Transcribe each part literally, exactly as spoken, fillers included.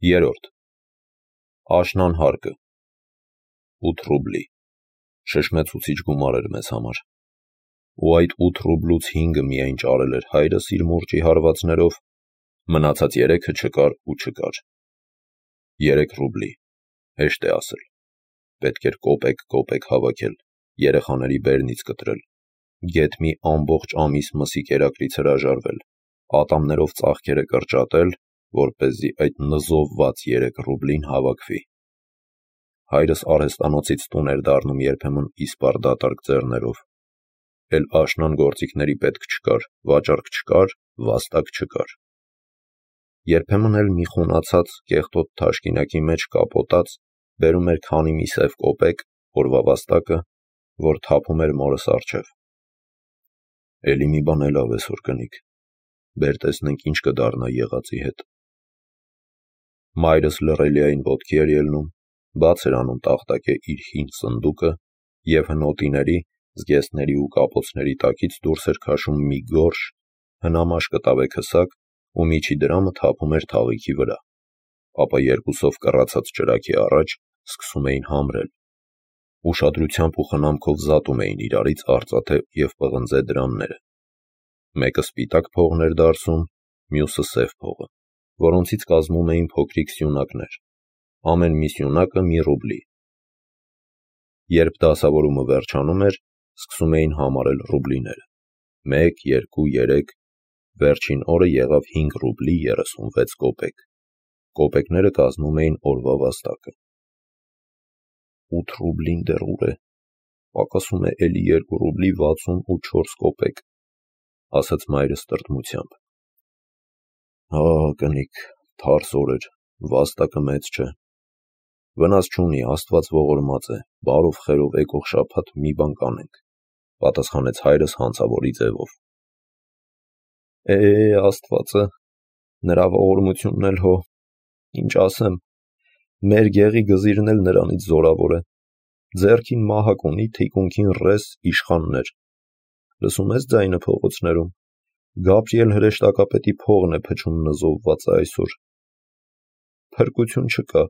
Երորդ. Աշնան հարկը ութ ռուբլի, շշմեցուցիչ գումար էր մեզ համար, ու այդ ութ ռուբլուց հինգը միայն ճարել էր հայրս իր մուրճի հարվածներով, մնացած երեքը չկար ու չկար։ Երեք ռուբլի, հեշտ է ասել, պետք էր կոպեկ-կոպեկ հավաքել, երեխաների բերնից կտրել, գեթ մի ամբողջ ամիս մսի կերակրից հրաժարվել, ատամներով ծաղկերը կրճատել, որպեսզի այդ նզովված երեք ռուբլին հավաքվի։ Հայրս արհեստանոցից տուն էր դառնում երբեմն իսպար դատարկ ձեռներով, էլ աշնան գործիքների պետք չկար, վաճառք չկար, վաստակ չկար։ Երբեմն էլ մի խունացած կեղտոտ թաշկինակի մեջ կապոտած բերում էր քանի մի սև կոպեկ, օրվա վաստակը, որ թափում էր մորս առջև։ Էլի մի բան էլ ավես որ կնիկ, բեր տեսնենք ինչ կդառնա եղածի հետ։ Մայրս լռելիային ոտքի էր ելնում, բաց էր անում տախտակե իր հին սնդուկը և հնոտիների, զգեստների ու կապոցների տակից դուրս էր քաշում մի գորշ, հնամաշ կտավե քսակ ու միջի դրամը թափում էր թաղիքի վրա, ապա երկուսով կռացած ճրագի առաջ սկսում էին համրել, ուշադրությամբ ու խնամքով զատում էին իրարից արծաթե և պղնձե դրամները, մեկը սպիտակ փողն էր դարսում, մյուսը սև փողը, որոնցից կազմում էին փոքրիկ սյունակներ, ամեն մի սյունակը մի ռուբլի։ Երբ դասավորումը վերջանում էր, սկսում էին համարել ռուբլիները, մեկ, երկու, երեք, վերջին օրը եղավ հինգ ռուբլի երեսունվեց կոպեկ, կոպեկները կազմում էին օրվա վաստակը։ Ութ ռուբլին դեռ ուր է, պակասում է էլի երկու ռուբլի վաթսուն ու չորս կոպեկ, ասաց մայրս տրտմությամբ։ Հա, կնիկ, թարս օր էր, վաստակը մեծ չէ։ Վնաս չունի, Աստված ողորմած է, բարով խերով եկող շաբաթ մի բան կանենք, պատասխանեց հայրս հանցավորի ձևով։ Է, Աստվածը, նրա ողորմությունն էլ հո, ինչ ասեմ, մեր գեղի գզիրն էլ նրանից զորավոր է, ձեռքին մահակ ունի, թիկունքին ռես իշխաններ, լսում ես ձայնը փողոցներում, Գաբրիել հրեշտակապետի փողն է փչում նզովվածը այսօր, փրկություն չկա։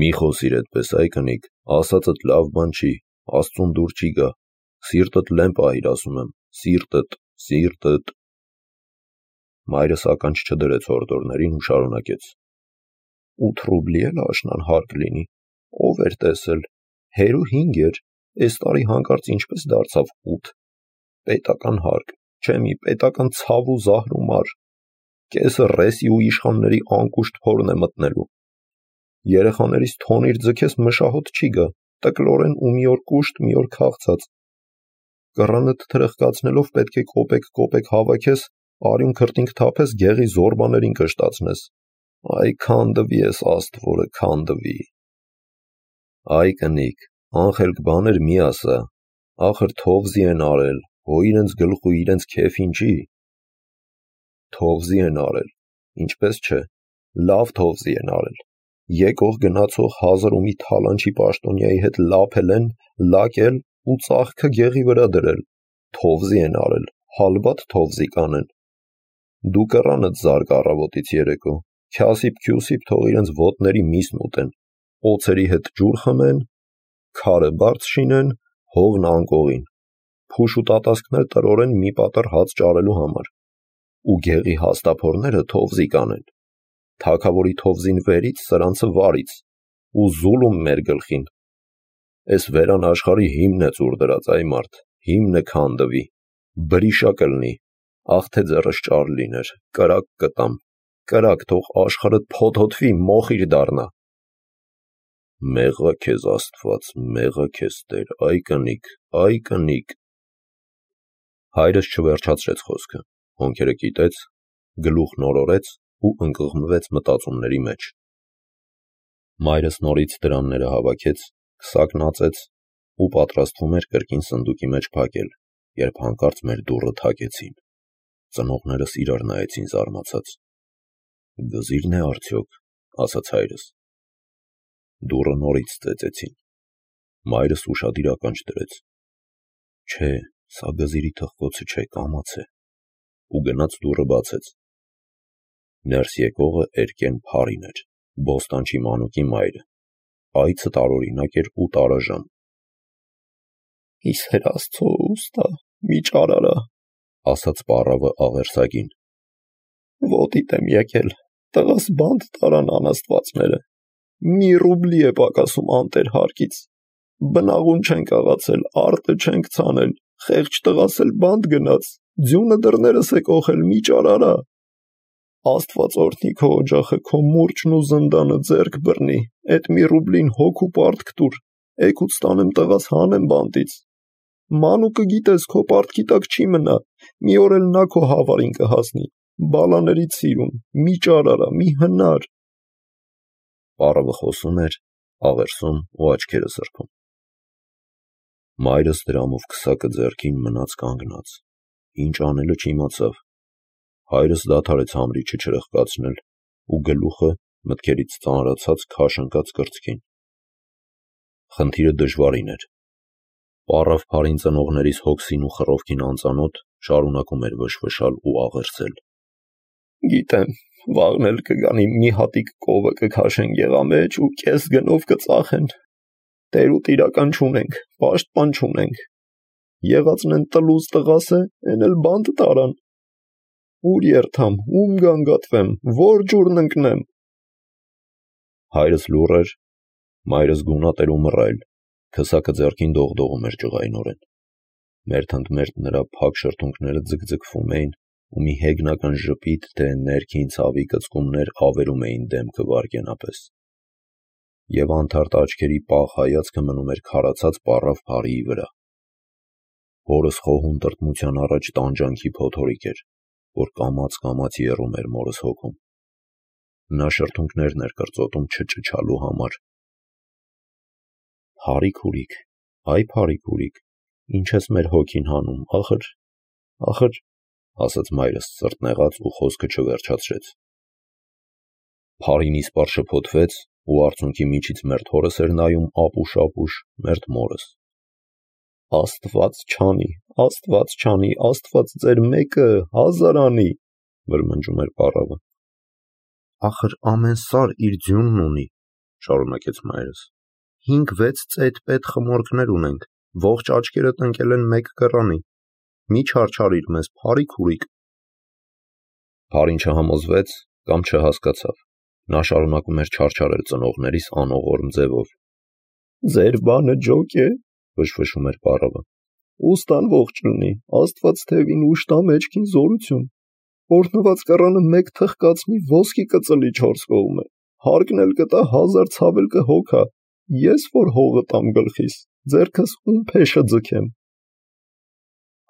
Մի խոսիր այդպես, այ կնիկ, ասածդ լավ բան չի, Աստծուն դուր չի գա, սիրտդ լեն պահիր ասում եմ, սիրտդ, սիրտդ։ Մայրս ականջ չդրեց հորդորներին ու շարունակեց. Ութ ռուբլի էլ աշնան հարկ լինի, ով էր տեսել, հերու հինգ էր, այս տարի հանկարծ ինչպես դարձավ ութ, պետական հարկ, չէ մի պետական ցավ ու զահր ու մար, կեսը ռեսի ու իշխանների անկուշտ փորն է մտնելու։ Երեխաներիս թոնիր ձգես մշահոտ չի գա, տկլորեն ու մի օր կուշտ, մի օր քաղցած։ Կռանդ թրխկացնելով պետք է կոպեկ-կոպեկ հավաքես, արյուն քրտինք թափես, գեղի զորբաներին կշտացնես։ Այ քանդվի ես Աստվորը, քանդվի։ Այ կնիկ, անխելք բաներ մի ասա, ախր թովզի են արել, հո իրենց գլխու իրենց քեֆին չի։ Թովզի են արել, ինչպես չէ, լավ թովզի են արել, եկող գնացող հազար ու մի թալանչի պաշտոնյայի հետ լափել են, լակել ու ծաղկը գեղի վրա դրել, թովզի են արել, հալբատ թովզի կանեն։ Դու կռանդ զարկ առավոտից երեկո, քյասիպ-քյուսիպ թող իրենց ոտների միսն ուտեն, օձերի հետ ջուր խմեն, քարը բարձ շինեն, հովն անկողին, փուշ ու տատասկներ տրորեն մի պատառ հաց ճարելու համար, ու գեղի հաստափորները թովզի կանեն, թագավորի թովզին վերից, սրանցը վարից, ու զուլում մեր գլխին։ Էս վերան աշխարհի հիմն է ծուր դրած, այ մարդ, հիմնը քանդվի, բրիշա կլնի, ախ թե ձեռս ճար լիներ, կրակ կտամ, կրակ թող աշխարհդ փոթոթվի, մոխիր դառնա։ Մեղա քեզ Աստված, մեղա քեզ Տեր, այ կնիկ, այ կնիկ։ Հայրս չվերջացրեց խոսքը, հոնքերը կիտեց, գլուխն օրորեց ու ընկղմվեց մտածումների մեջ։ Մայրս նորից դրամները հավաքեց, քսակն ածեց ու պատրաստվում էր կրկին սնդուկի մեջ փակել, երբ հանկարծ մեր դուռը թակեցին։ Ծնողներս իրար նայեցին զարմացած։ Գզիրն է արդյոք, ասաց հայրս։ Դուռը նորից ծեծեցին։ Մայրս ուշադիր ականջ դրեց։ Չէ, սա գզիրի թխկոցը չէ, կամաց է, ու գնաց դուռը բացեց։ Ներս եկողը Էրկեն Փարին էր, Բոստանչի մանուկի մայրը, այցը տարօրինակ էր ու տարաժան։ Իսեր Աստծո ուստա, մի ճարարա, ասաց պառավը աղերսագին։ Ոտիտ եմ եկել, տղաս բանտ տարան անաստվածները, մի ռուբլի է պակասում անտեր հարկից, բնաղուն չենք աղացել, արտը չենք ցանել, խեղճ տղաս էլ բանտ գնաց, ձյունը դռներս է կողել, մի ճարարա։ Աստված օրհնի քո օջախը, քո մուրճն ու զնդանը ձեռք բռնի, էդ մի ռուբլին հոգ ու պարտք տուր, էգուց տանեմ տղաս հանեմ բանտից։ Մանուկը գիտես, քո պարտքի տակ չի մնա, մի օր էլ նա քո հավարին կհասնի, բալաներից սիրուն, մի ճարարա, մի հնար։ Պառավը խոսում էր, աղերսում ու աչքերը սրբում։ Մայրս դրամով քսակը ձեռքին մնաց կանգնած, ինչ անելը չիմացավ։ Հայրս դադարեց համրիչը չրխկացնել ու գլուխը մտքերից ծանրացած քաշ ընկած կրծքին։ Խնդիրը դժվարին էր։ Պառավ Փարին ծնողներիս հոգսին ու խռովքին անծանոթ շարունակում էր վշվշալ ու աղերսել։ Գիտեմ, վաղն էլ կգանի մի հատիկ կովը կքաշեն գեղամեջ ու կես գնով կծախեն։ Տեր ու տիրական չունենք, պաշտպան չունենք։ Եղածն են տլուզ տղաս է, են էլ բանտ տարան։ Ուր երթամ, ում գանգատվեմ, որ ջուրն ընկնեմ։ Հայրս լուռ էր, մայրս գունատ էր ու մռայլ, քսակը ձեռքին դողդողում էր ջղայնորեն։ Մերթընդմերթ նրա փակ շրթունքները ձգձգվում էին ու մի հեգնական ժպիտ, թե ներքին ցավի կծկումներ ավերում էին դեմքը վարգենապես։ Եվ անթարթ աչքերի պաղ հայացքը մնում էր քարացած պառավ Փարիի վրա։ Հորս խոհուն տրտմության առաջ տանջանքի փոթորիկ էր, որ կամաց-կամաց եռում էր մորս հոգում։ Նա շրթունքներն էր կրծոտում չճչալու համար։ Փարի քուրիկ, այ Փարի քուրիկ, ինչ ես մեր հոգին հանում, ախր, ախր, ասաց մայրս սրտնեղած ու խոսքը չվերջացրեց։ Փարին իսպառ շփոթվեց ու արցունքի միջից մերթ հորս էր նայում ապուշ-ապուշ, մերթ մորս։ Աստված չանի, Աստված չանի, Աստված ձեր մեկը հազար անի, վրմնջում էր պառավը։ Ախր ամեն սար իր ձյունն ունի, շարունակեց մայրս։ Հինգ-վեց ծեթ-պետ խմորքներ ունենք, ողջ աչքերդ ընկել են մեկ կռանի։ Մի չարչարիր մեզ, Փարի քուրիկ։ Փարին չհամոզվեց կամ չհասկացավ։ Նա շարունակում էր չարչարել ծնողներիս անողորմ ձևով։ Ձեր բանը ջոկ է, վշվշում էր պառավը։ Ուստան ողջ լինի, Աստված թևին ուշ տա մեջքին զորություն։ Օրհնված կռանը մեկ թխկացնի ոսկի կծլի չորս կողմը, հարկն էլ կտա հազար ցավել կհոգա, ես որ հողը տամ գլխիս, ձեռքս ում փեշը ձգեմ։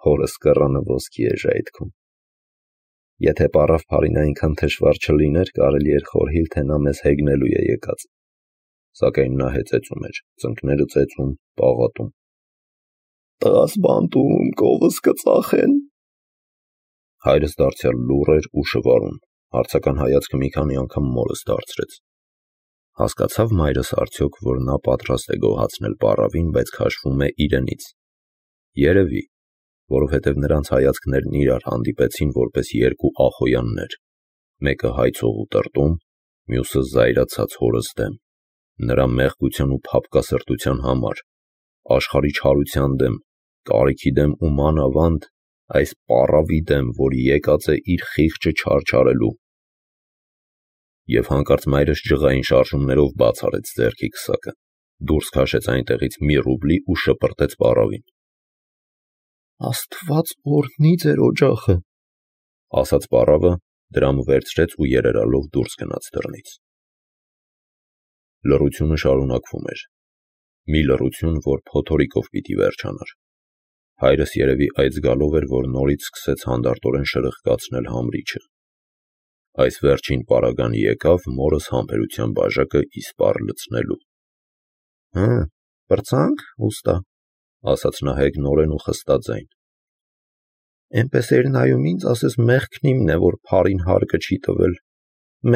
Հորս կռանը ոսկի է ժայթքում։ Եթե պառավ Փարին այնքան թշվառ չլիներ, կարելի էր խորհիլ, թե նա մեզ հեգնելու է եկած։ Սակայն նա հեծեծում էր, ծնկները ծեծում, պաղատում։ Տղաս բանտում, կովս կծախեն։ Հայրս դարձյալ լուռ էր ու շվարում, հարցական հայացքը մի քանի անգամ մորս դարձրեց։ Հասկացավ մայրս արդյոք, որ նա պատրաստ է գոհացնել պառավին, բայց քաշվում է իրենից։ Երևի, որովհետև նրանց հայացքներն իրար հանդիպեցին որպես երկու ախոյաններ, մեկը հայցող ու տրտում, մյուսը զայրացած հորս դեմ, նրա մեղքության ու փափկասրտության համար, աշխարհի չարության դեմ, կարիքի դեմ ու մանավանդ այս պառավի դեմ, որ եկած է իր խիղճը չարչարելու։ Եվ հանկարծ մայրս ջղային շարժումներով բաց արեց ձեռքի քսակը, դուրս քաշեց այնտեղից մի ռուբլի ու շպրտեց պառավին։ Աստված օրհնի ձեր օջախը, ասաց պառավը, դրամը վերցրեց ու երերալով դուրս գնաց դռնից։ Լռությունը շարունակվում էր։ Մի լռություն, որ փոթորիկով պիտի վերջանար։ Հայրս երևի այդ զգալով էր, որ նորից սկսեց հանդարտորեն շրխկացնել համրիչը։ Այս վերջին պարագան եկավ մորս համբերության բաժակը իսպառ լցնելու։ Հը, պրծանք, ուստա, ասաց նա հեգնորեն ու խստաձայն։ Էնպես էր նայում ինձ, ասես մեղքն իմն է, որ Փարին հարկը չի տվել։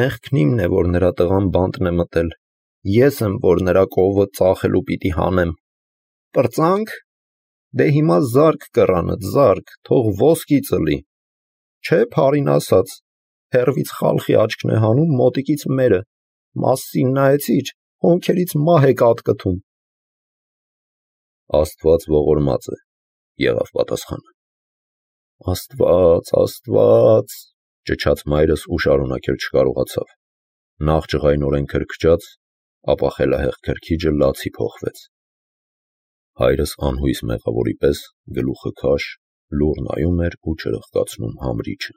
Մեղքն իմն է, որ նրա տղան բանտն է մտել։ Ես եմ, որ նրա կովը ծախելու պիտի հանեմ։ Պրծանք։ Դե հիմա զարկ կռանը, զարկ, թող ոսկի ծլի։ Չէ, Փարին ասաց, հեռվից խալխի աչքն է հանում, մոտիկից մերը, մասին նայեցիր, հոնքերից մահ է կատկթում։ Աստված ողորմած է, եղավ պատասխանը։ Աստված, Աստված, ճչաց մայրս ու շարունակել չկարողացավ։ Նախ ջղայնորեն քրքջաց, ապա խելահեղ քրքիջը լացի փոխվեց։ Հայրս անհույս մեղավորի պես գլուխը քաշ, լուռ նայում էր ու չրխկացնում համրիչը։